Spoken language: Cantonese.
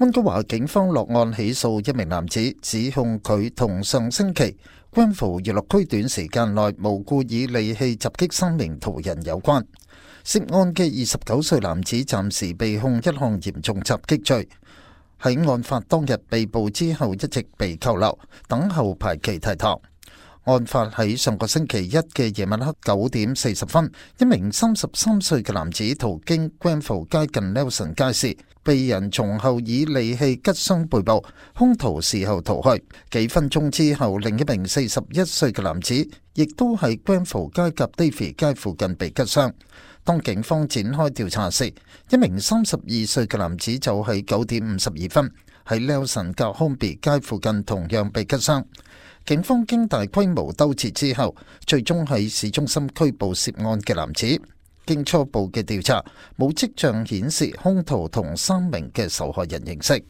溫哥華警方落案起訴一名男子，指控佢同上星期Grenfell娛樂區短時間內無故以利器襲擊3名途人有關。涉案嘅29歲男子暫時被控一項嚴重襲擊罪，喺案發當日被捕之後一直被扣留，等候排期提堂。案發喺上個星期一嘅夜晚黑9點40分，一名33歲嘅男子途經 Grenfell 街近 Nelson 街時，被人從後以利器拮傷背部，兇徒事後逃去。幾分鐘之後，另一名41歲嘅男子亦都喺 Grenfell 街及 Davie 街附近被拮傷。當警方展開調查時，一名32歲嘅男子就喺9點52分喺 Nelson 及 Hornby 街附近同樣被拮傷。警方經大規模兜截之後，最終喺市中心拘捕涉案嘅男子。經初步嘅調查，冇跡象顯示兇徒同3名嘅受害人認識。